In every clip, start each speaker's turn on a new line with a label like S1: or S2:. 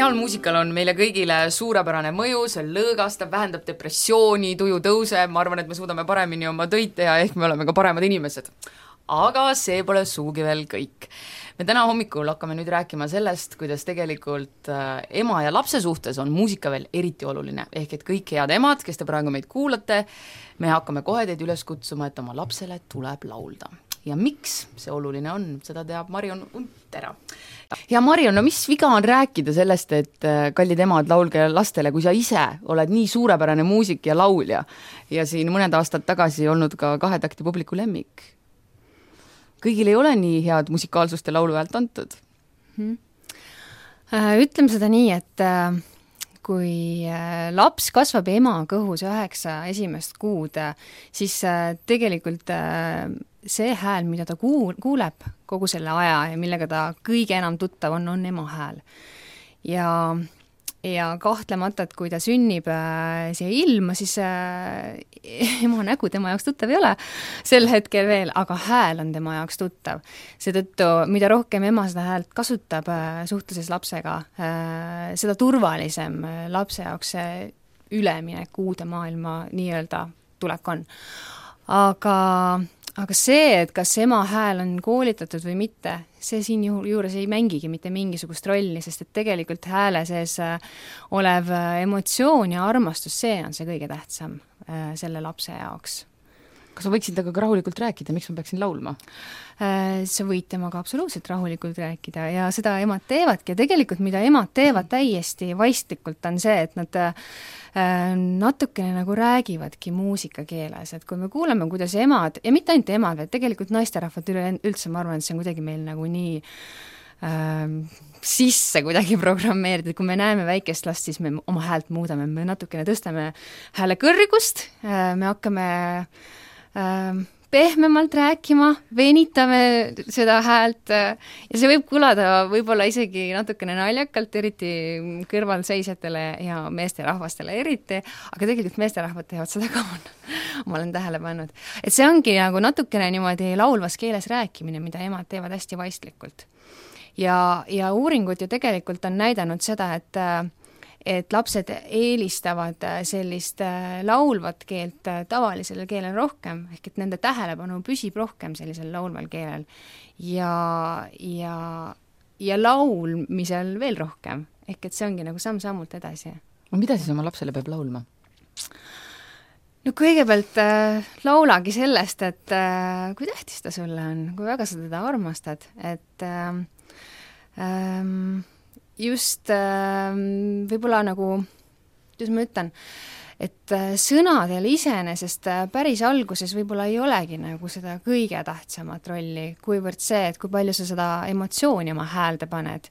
S1: Originaalmuusikal on meile kõigile suurepärane mõju, see lõõgastab, vähendab depressiooni, tuju tõuseb, ma arvan, et me suudame paremini oma töid teha, ehk me oleme ka paremad inimesed. Aga see pole suugi veel kõik. Me täna hommikul hakkame nüüd rääkima sellest, kuidas tegelikult ema ja lapse suhtes on muusika veel eriti oluline. Ehk et kõik head emad, kes te praegu meid kuulate, me hakkame kohe teid üles kutsuma, et oma lapsele tuleb laulda. Ja miks see oluline on, seda teab Marion Untera. Ja Marion, no mis viga on rääkida sellest, et kallid emad, laulge lastele, kui sa ise oled nii suurepärane muusik ja laulja ja siin mõned aastad tagasi olnud ka 2 takti publiku lemmik? Kõigil ei ole nii head musikaalsust ja laulu häält antud.
S2: Ütleme seda nii, et kui laps kasvab ema kõhus 9 esimest kuud, siis tegelikult see hääl, mida ta kuuleb kogu selle aja ja millega ta kõige enam tuttav on ema hääl. Ja kahtlemata, et kui ta sünnib siia ilma, siis ema nägu tema jaoks tuttav ei ole sel hetkel veel, aga hääl on tema jaoks tuttav. Seetõttu, mida rohkem ema seda häält kasutab suhtluses lapsega, seda turvalisem lapse jaoks see üleminek uude maailma nii-öelda tulek on. Aga see, et kas ema hääl on koolitatud või mitte, see siin juures ei mängigi mitte mingisugust rolli, sest et tegelikult hääle sees olev emotsioon ja armastus, see on see kõige tähtsam selle lapse jaoks.
S1: Kas sa võiksid temaga rahulikult rääkida, miks ma peaksin laulma?
S2: Sa võid temaga absoluutselt rahulikult rääkida ja seda emad teevadki ja tegelikult mida emad teevad täiesti vaistlikult on see, et nad natukene nagu räägivadki muusikakeeles, et kui me kuuleme, kuidas emad, ja mitte ainult emad, vaid tegelikult naisterahvad üldse, ma arvan, et see on kuidagi meil nagu nii sisse kuidagi programmeeritud, kui me näeme väikest last, siis me oma häält muudame, me natukene tõstame hääle kõrgust, me hakkame pehmemalt rääkima, venitame seda häält ja see võib kõlada võib-olla isegi natukene naljakalt, eriti kõrvalseisjatele ja meesterahvastele eriti, aga tegelikult meesterahvad teevad seda ka, ma olen tähele pannud. Et see ongi nagu natukene niimoodi laulvas keeles rääkimine, mida emad teevad hästi vaistlikult. Ja uuringud ju tegelikult on näidanud seda, et lapsed eelistavad sellist laulvat keelt tavalisele keelel rohkem, ehk et nende tähelepanu püsib rohkem sellisel laulval keelel ja laulmisel veel rohkem, ehk et see ongi nagu samm-sammult edasi.
S1: Mida siis oma lapsele peab laulma?
S2: No kõigepealt laulagi sellest, et kui tähtis ta sulle on, kui väga sa teda armastad, et just võib-olla nagu, kuidas ma ütlen, et sõnadel iseenesest päris alguses võib-olla ei olegi nagu seda kõige tähtsamat rolli, kuivõrd see, et kui palju sa seda emotsiooni oma häälde paned.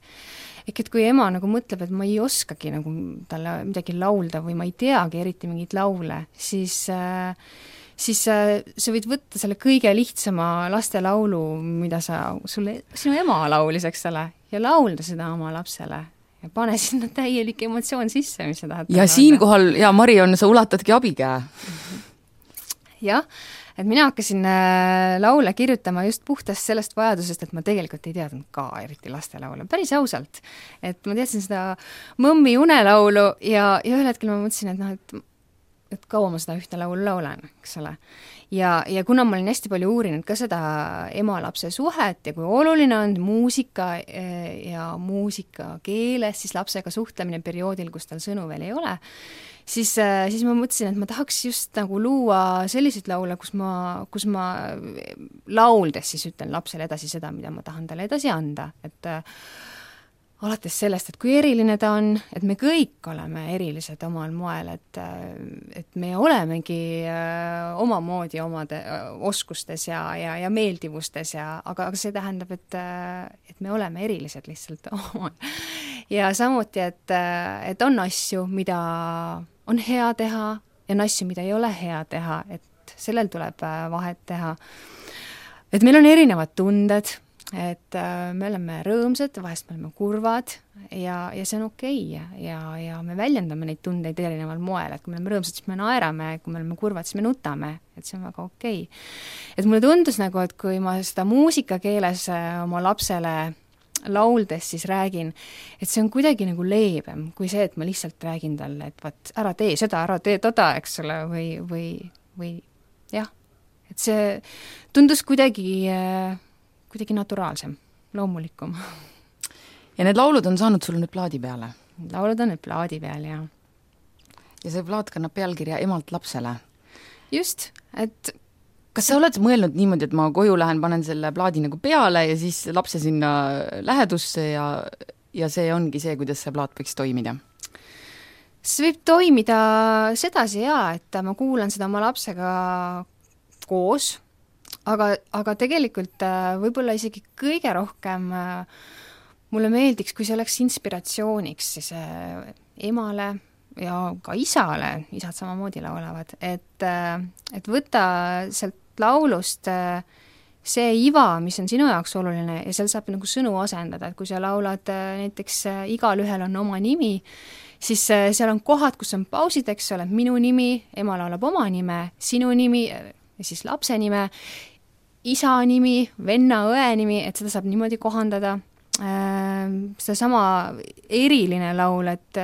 S2: Ehk et kui ema nagu mõtleb, et ma ei oskagi nagu talle midagi laulda või ma ei teagi eriti mingit laule, siis sa võid võtta selle kõige lihtsama lastelaulu, mida sinu ema laulis, eks ole, ja laulda seda oma lapsele ja pane sinna täielik emotsioon sisse, mis sa tahad.
S1: Ja siinkohal, ja Marion, sa ulatadki abikäe.
S2: Jah, et mina hakkasin laule kirjutama just puhtast sellest vajadusest, et ma tegelikult ei teadnud ka eriti lastelaule, päris ausalt. Et ma teadsin seda mõmmi unelaulu ja ühel hetkel ma mõtlesin, et kaua ma seda ühte laulu laulan, eks ole. Ja kuna ma olin hästi palju uurinud ka seda ema-lapse suhet ja kui oluline on muusika ja muusika keeles, siis lapsega suhtlemine perioodil, kus tal sõnu veel ei ole, siis ma mõtlesin, et ma tahaks just nagu luua selliseid laule, kus ma lauldes siis ütlen lapsele edasi seda, mida ma tahan talle edasi anda, et alates sellest, et kui eriline ta on, et me kõik oleme erilised omal moel, et me olemegi omamoodi omade oskustes ja meeldivustes, aga see tähendab, et me oleme erilised lihtsalt omal. Ja samuti, et on asju, mida on hea teha ja on asju, mida ei ole hea teha, et sellel tuleb vahet teha. Et meil on erinevad tunded, et me oleme rõõmsad, vahest me oleme kurvad ja see on okei ja me väljendame neid tundeid erineval moel, et kui me oleme rõõmsad, siis me naerame, kui me oleme kurvad, siis me nutame, et see on väga okei. Et mulle tundus nagu, et kui ma seda muusikakeeles oma lapsele lauldes siis räägin, et see on kuidagi nagu leebem kui see, et ma lihtsalt räägin talle, et vaat ära tee seda, ära tee toda, eks ole, või jah, et see tundus kuidagi naturaalsem, loomulikum.
S1: Ja need laulud on saanud sul nüüd plaadi peale?
S2: Laulud on nüüd plaadi peal, jah.
S1: Ja see plaat kannab pealkirja Emalt lapsele.
S2: Just, et
S1: kas sa oled mõelnud niimoodi, et ma koju lähen, panen selle plaadi nagu peale ja siis lapse sinna lähedusse ja see ongi see, kuidas see plaat võiks toimida?
S2: See võib toimida sedasi et ma kuulan seda oma lapsega koos, aga tegelikult võib-olla isegi kõige rohkem mulle meeldiks, kui see oleks inspiratsiooniks siis emale ja ka isale, isad samamoodi laulavad, et võtta sealt laulust see iva, mis on sinu jaoks oluline ja seal saab nagu sõnu asendada, et kui sa laulad näiteks Igal ühel on oma nimi, siis seal on kohad, kus on pausid, eks ole, minu nimi, ema laulab oma nime, sinu nimi ja siis lapse nime, isa nimi, venna, õe nimi, et seda saab niimoodi kohandada. Seda sama eriline laul, et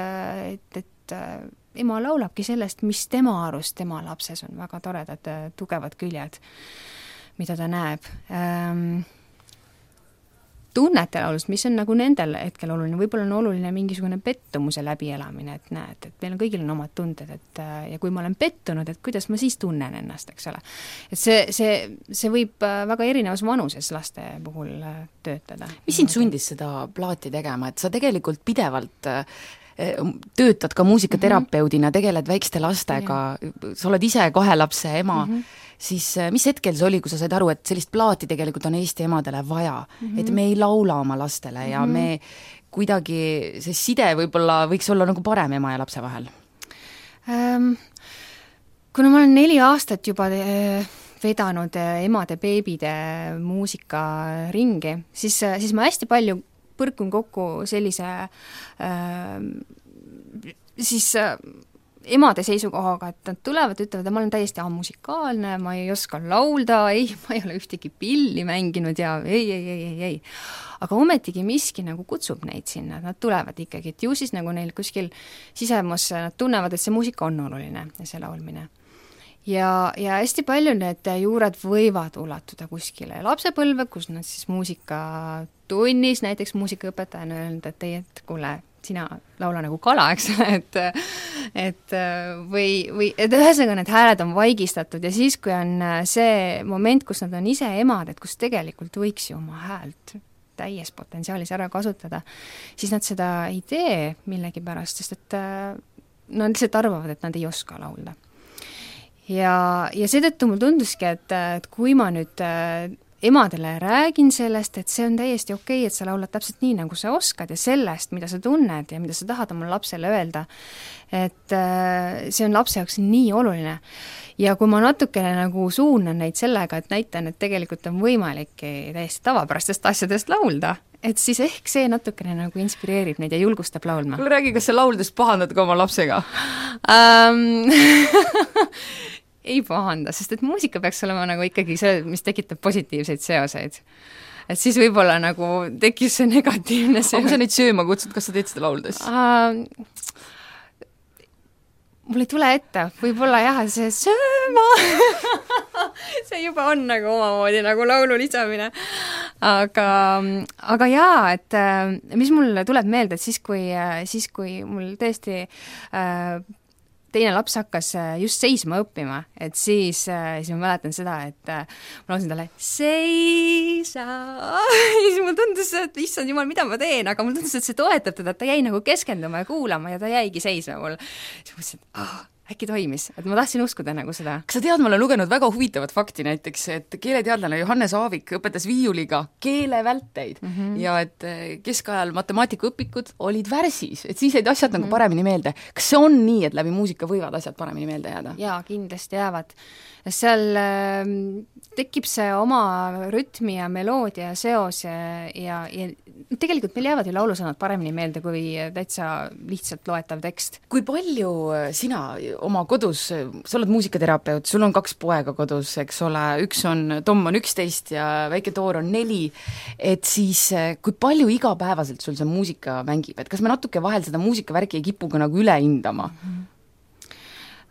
S2: ema laulabki sellest, mis tema arust tema lapses on väga toredad, tugevad küljed, mida ta näeb. Tunnete laulust, mis on nagu nendel hetkel oluline, võib-olla on oluline mingisugune pettumuse läbielamine, et näed, et meil on kõigil on omad tunded, et ja kui ma olen pettunud, et kuidas ma siis tunnen ennast, eks ole. Et see võib väga erinevas vanuses laste puhul töötada.
S1: Mis sind sundis seda plaati tegema, et sa tegelikult pidevalt töötad ka muusikaterapeudina, tegeled väikeste lastega, sa oled ise 2 lapse ema, siis mis hetkel see oli, kui sa said aru, et sellist plaati tegelikult on Eesti emadele vaja, et me ei laula oma lastele ja me kuidagi, see side võib-olla võiks olla nagu parem ema ja lapse vahel?
S2: Kuna ma olen 4 aastat juba vedanud emade beebide muusikaringi, siis ma hästi palju põrkun kokku sellise emade seisukohaga, et nad tulevad, ütlevad, et ma olen täiesti amusikaalne, ma ei oska laulda, ma ei ole ühtegi pilli mänginud ja ei. Aga ometigi miski nagu kutsub neid sinna, nad tulevad ikkagi, et ju siis nagu neil kuskil sisemus, nad tunnevad, et see muusika on oluline ja see laulmine. Ja hästi palju need juured võivad ulatuda kuskile lapsepõlve, kus nad siis muusikatunnis, näiteks muusikaõpetajana öelnud, et kuule, sina laula nagu kala, eks ole, et ühesõnaga need hääled on vaigistatud ja siis, kui on see moment, kus nad on ise emad, et kus tegelikult võiks ju oma häält täies potentsiaalis ära kasutada, siis nad seda ei tee millegipärast, sest et nad lihtsalt arvavad, et nad ei oska laulda. Ja seetõttu mul tunduski, et kui ma nüüd emadele räägin sellest, et see on täiesti okei, et sa laulad täpselt nii, nagu sa oskad ja sellest, mida sa tunned ja mida sa tahad oma lapsele öelda, et see on lapse jaoks nii oluline. Ja kui ma natukene nagu suunan neid sellega, et näitan, et tegelikult on võimalik täiesti tavapärastest asjadest laulda, et siis ehk see natukene nagu inspireerib neid ja julgustab laulma.
S1: Kuule, räägi, kas sa lauldes pahandad ka oma lapsega?
S2: Ei pahanda, sest et muusika peaks olema nagu ikkagi see, mis tekitab positiivseid seoseid. Et siis võib-olla nagu tekis see negatiivne seos.
S1: Aga kui sa neid sööma kutsud, kas sa teed seda lauldes?
S2: Mul ei tule ette, võib-olla jah, see sööma see juba on nagu omamoodi nagu laulu lisamine. Aga jaa, et mis mul tuleb meelde, et siis kui mul tõesti teine laps hakkas just seisma õppima, et siis ma mäletan seda, et ma laulsin talle seisa ja siis mul tundus, et issand jumal, mida ma teen, aga mul tundus, et see toetab teda, et ta jäi nagu keskenduma ja kuulama ja ta jäigi seisma mul. Siis mõtlesin, et äkki toimis, et ma tahtsin uskuda nagu seda.
S1: Kas sa tead, ma olen lugenud väga huvitavat fakti näiteks, et keeleteadlane Johannes Aavik õpetas viiuliga keelevälteid ja et keskajal matemaatikaõpikud olid värsis, et siis jäid asjad nagu paremini meelde. Kas see on nii, et läbi muusika võivad asjad paremini meelde jääda?
S2: Jaa, kindlasti jäävad. Seal tekib see oma rütmi ja meloodia seos ja tegelikult meil jäävad ju laulusõnad paremini meelde kui täitsa lihtsalt loetav tekst.
S1: Kui palju sina oma kodus, sa oled muusikaterapeut, sul on 2 poega kodus, eks ole, Tom on 11 ja väike Toor on 4, et siis kui palju igapäevaselt sul see muusika mängib, et kas me natuke vahel seda muusikavärki ei kipu ka nagu üle hindama?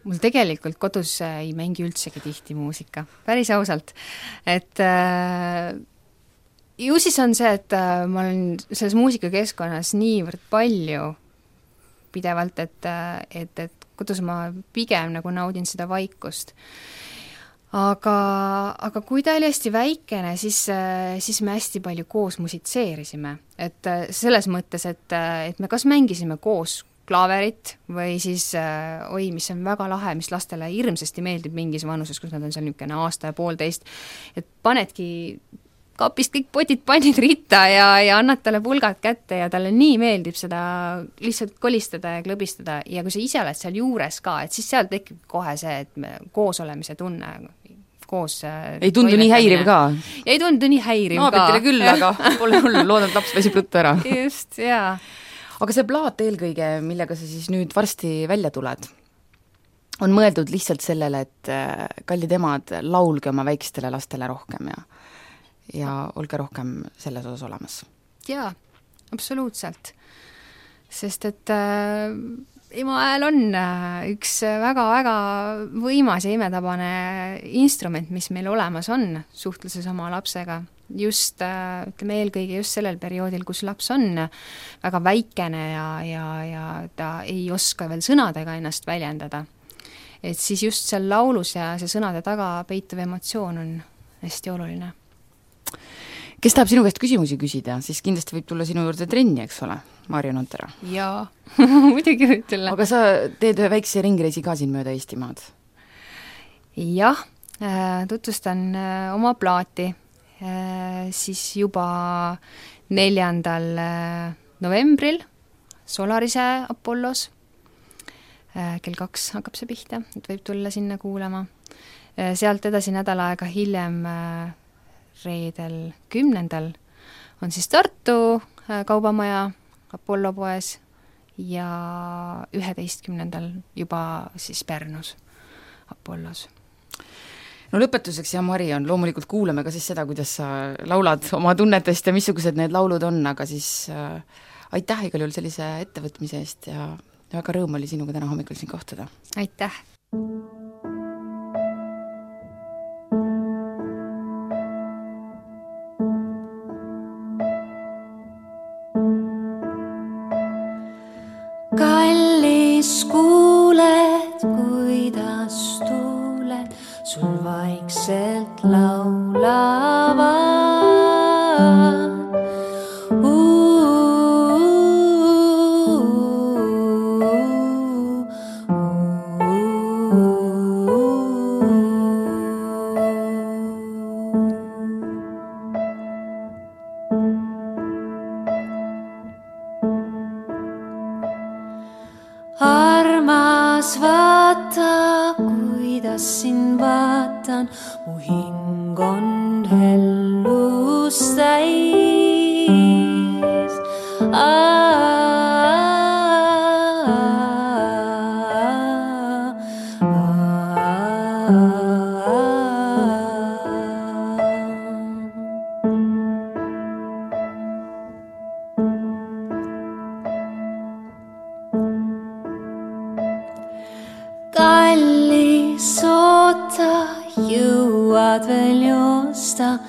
S2: Mul tegelikult kodus ei mängi üldsegi tihti muusika, päris ausalt, et ju siis on see, et ma olen selles muusikakeskkonnas niivõrd palju pidevalt, et kodus ma pigem nagu naudin seda vaikust. Aga kui ta oli hästi väikene, siis me hästi palju koos musitseerisime, et selles mõttes, et me kas mängisime koos klaaverit või siis mis on väga lahe, mis lastele hirmsasti meeldib mingis vanuses, kus nad on seal niisugune aasta ja 1,5, et panedki kapist kõik potid pannid ritta ja annad talle pulgad kätte ja talle nii meeldib seda lihtsalt kolistada ja klõbistada ja kui sa ise oled seal juures ka, et siis seal tekib kohe see, et me koos olemise tunne koos
S1: ei tundu nii häiriv ka?
S2: Ja ei tundu nii häiriv
S1: Naabritele küll, aga pole hull, loodan, et laps väsib ruttu ära.
S2: Just, jaa.
S1: Aga see plaat eelkõige, millega sa siis nüüd varsti välja tuled, on mõeldud lihtsalt sellele, et kallid emad, laulge oma väikestele lastele rohkem ja olge rohkem selles osas olemas.
S2: Jaa, absoluutselt. Sest et ema hääl on üks väga-väga võimas ja imetabane instrument, mis meil olemas on suhtluses oma lapsega. Just, ütleme eelkõige just sellel perioodil, kus laps on väga väikene ja ta ei oska veel sõnadega ennast väljendada. Et siis just seal laulus ja see sõnade taga peituv emotsioon on hästi oluline.
S1: Kes tahab sinu käest küsimusi küsida, siis kindlasti võib tulla sinu juurde trenni, eks ole, Marju Nontera?
S2: Jaa, muidugi võib tulla.
S1: Aga sa teed ühe väikse ringreisi ka siin mööda Eestimaad?
S2: Jah, tutvustan oma plaati siis juba 4. novembril Solarise Apollos. Kell 2 hakkab see pihta, et võib tulla sinna kuulama. Sealt edasi nädal aega hiljem reedel 10. on siis Tartu kaubamaja Apollo poes ja 11. juba siis Pärnus Apollos.
S1: No lõpetuseks, ja Mari, loomulikult kuulame ka siis seda, kuidas sa laulad oma tunnetest ja missugused need laulud on, aga siis aitäh igal juhul sellise ettevõtmise eest ja väga rõõm oli sinuga täna hommikul siin kohtuda.
S2: Aitäh!
S3: Kallis kuuled, kuidas tuuled sul vaikselt laulavad. Armas, vaata, kuidas sind vaatan, mu hing on hellust täis. Kallis, oota, jõuad veel joosta,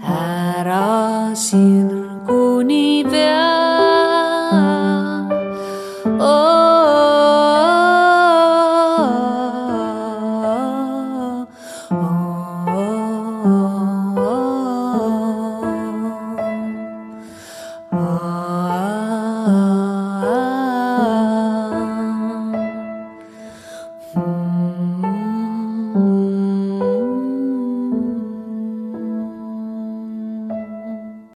S3: ära sirguni pea.